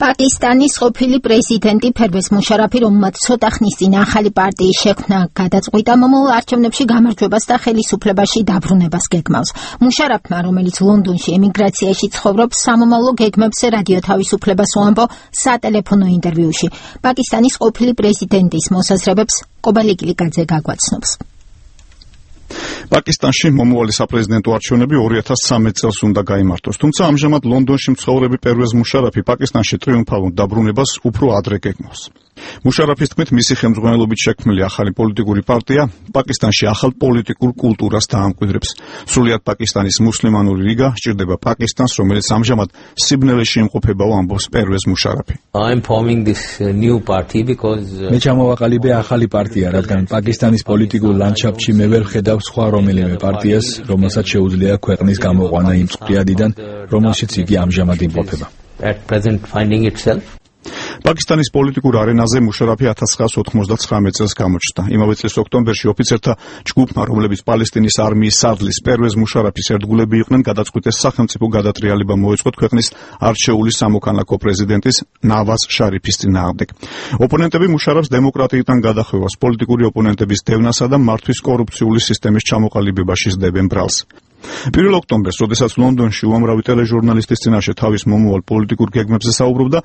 პაკისტანის ყოფილი პრეზიდენტი ფერვეზ მუშარაფი, რომელმაც ცოტა ხნის წინ ახალი პარტიის შექმნა გადაწყვიტა, მომავალ არჩევნებში გამარჯვებას და ხელისუფლებაში დაბრუნებას გეგმავს. მუშარაფმა, რომელიც ლონდონში ემიგრაციაში ცხოვრობს, სამომავლო გეგმებზე რადიო თავისუფლებას უამბო სატელეფონო ინტერვიუში. პაკისტანის ყოფილი პრეზიდენტის მოსაზრებებს კობალი კილიკაძე გაგვაცნობს. პაკისტანში მომავალი საპრეზიდენტო არჩევნები 2013 წელს უნდა გაიმართოს, თუმცა ამჟამად ლონდონში მცხოვრები პერვეზ მუშარაფი პაკისტანში ტრიუმფალურ დაბრუნებას უფრო ადრე გეგმავს. მუშარაფის თქმით, მისი ხელმძღვანელობით შექმნილი ახალი პოლიტიკური პარტია პაკისტანში ახალ პოლიტიკურ კულტურას დაამკვიდრებს. სრულიად პაკისტანის მუსლიმანური ლიგა სჭირდება პაკისტანს, რომელიც ამჟამად სიბნელეში იმყოფებაო, ამბობს პერვეზ მუშარაფი. მე ჩამოვაყალიბე ახალი პარტია, რადგან პაკისტანის პოლიტიკურ ლანდშაფტში მე ვერ ხედავ სხვა რომელიმე პარტიას, რომელსაც შეუძლია ქვეყნის გამოყვანა იმ წყიადიდან, რომელშიც იგი ამჟამად იმყოფება. პაკისტანის პოლიტიკურ არენაზე მუშარაფი 1999 წელს გამოჩნდა. იმავე წლის ოქტომბერში ოფიცერთა ჯგუფმა, რომლებიც პალესტინის არმიის სარდლის პერვეზ მუშარაფის ერთგულები იყვნენ, გადაწყვიტეს სახელმწიფო გადატრიალება მოეწყოთ ქვეყნის არჩეული სამოქალაქო პრეზიდენტის ნავაზ შარიფის წინააღმდეგ. ოპონენტები მუშარაფს დემოკრატიიდან გადახვევას, პოლიტიკური ოპონენტების დევნასა და მართვის კორუფციული სისტემის ჩამოყალიბებაში სდებენ ბრალს. 1 ოქტომბერს, როდესაც ლონდონში უამრავი ტელეჟურნალისტის წინაშე თავის მომავალ პოლიტიკურ გეგმებზე საუბრობდა,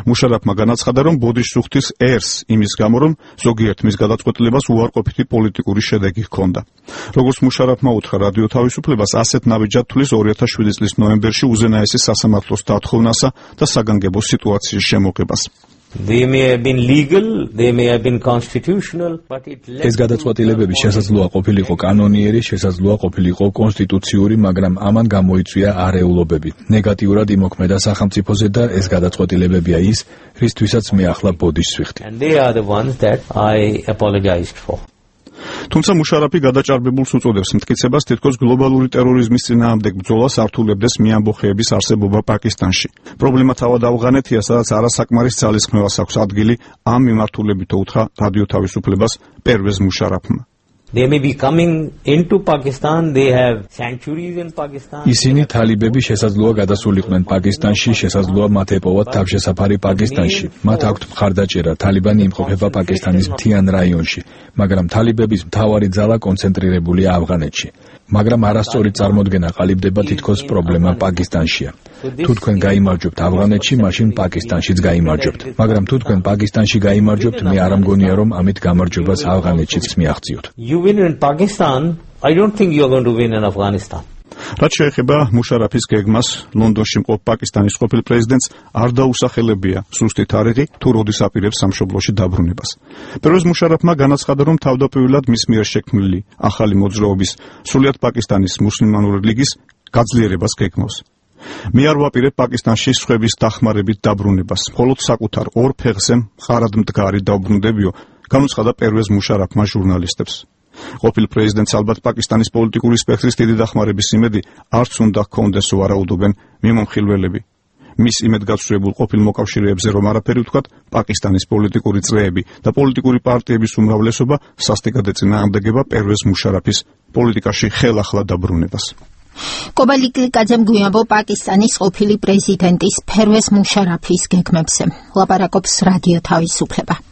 მუშარაფმა განაცხადა, რომ ბოდიშს უხდის ერს იმის გამო, რომ ზოგიერთ მის გადაწყვეტილებას უარყოფითი პოლიტიკური შედეგი ჰქონდა. როგორც მუშარაფმა უთხრა რადიო თავისუფლებას, ასეთ ნაბიჯად თვლის 2007 წლის ნოემბერში უზენაესი სასამართლოს დათხოვნასა და საგანგებო სიტუაციის შემოღებას. ეს გადაწყვეტილებები შესაძლოა ყოფილიყო კანონიერი, შესაძლოა ყოფილიყო კონსტიტუციური, მაგრამ ამან გამოიწვია არეულობები. ნეგატიურად იმოქმედა სახელმწიფოზე და ეს გადაწყვეტილებებია ის, რისთვისაც მე ახლა ბოდიშს ვიხდი. თუმცა მუშარაფი გადაჭარბებულს უწოდებს მტკიცებას, თითქოს გლობალური ტერორიზმის წინააღმდეგ ბრძოლას არ თულებდეს მეამბოხეების არსებობა პაკისტანში. პრობლემა თავად ავღანეთია, სადაც არასაკმარის ძალისხმევას აქვს ადგილი ამ მიმართულებითო უთხრა რადიო თავისუფლებას პერვეზ მუშარაფმა. ისინი თალიბები შესაძლოა გადასულიყვნენ პაკისტანში, შესაძლოა მათ ეპოვათ თავშესაფარი პაკისტანში. მათ აქვთ მხარდაჭერა, თალიბანი იმყოფება პაკისტანის მთიან რაიონში, მაგრამ თალიბების მთავარი ძალა კონცენტრირებულია ავღანეთში. მაგრამ არასწორი წარმოდგენა ყალიბდება, თითქოს პრობლემა პაკისტანშია. თუ თქვენ გაიმარჯვებთ ავღანეთში, მაშინ პაკისტანშიც გაიმარჯვებთ. მაგრამ თუ თქვენ პაკისტანში გაიმარჯვებთ, მე არ ამგონია, რომ ამით გამარჯვებას ავღანეთშიც მიაღწიოთ. რაც შეეხება მუშარაფის გეგმას, ლონდონში მყოფ პაკისტანის ყოფილ პრეზიდენტს არ დაუსახელებია სუსტი თარიღი, თუ როდის აპირებს სამშობლოში დაბრუნებას. პერვეზ მუშარაფმა განაცხადა, რომ თავდაპირველად მის მიერ შექმნილი ახალი მოძრაობის სრულიად პაკისტანის მუსლიმანური ლიგის გაძლიერებას გეგმავს. მე არ ვაპირებ პაკისტანში სხვების დახმარებით დაბრუნებას, მხოლოდ საკუთარ ორ ფეხზე მხარად მდგარი დავბრუნდებიო, განუცხადა პერვეზ მუშარაფმა ჟურნალისტებს. ყოფილ პრეზიდენტს ალბათ პაკისტანის პოლიტიკური სპექტრის დიდი დახმარების იმედი არც უნდა ჰქონდეს, ვარაუდობენ მიმომხილველები. მის იმედგაცრუებულ ყოფილ მოკავშირეებზე რომ არაფერი ვთქვათ, პაკისტანის პოლიტიკური წრეები და პოლიტიკური პარტიების უმრავლესობა სასტიკად ეწინააღმდეგება პერვეზ მუშარაფის პოლიტიკაში ხელახლა დაბრუნებას. კობალი კილიკაძემ გვიამბო პაკისტანის ყოფილი პრეზიდენტის ფერვეზ მუშარაფის გეგმებზე. ლაპარაკობს რადიო თავისუფლება.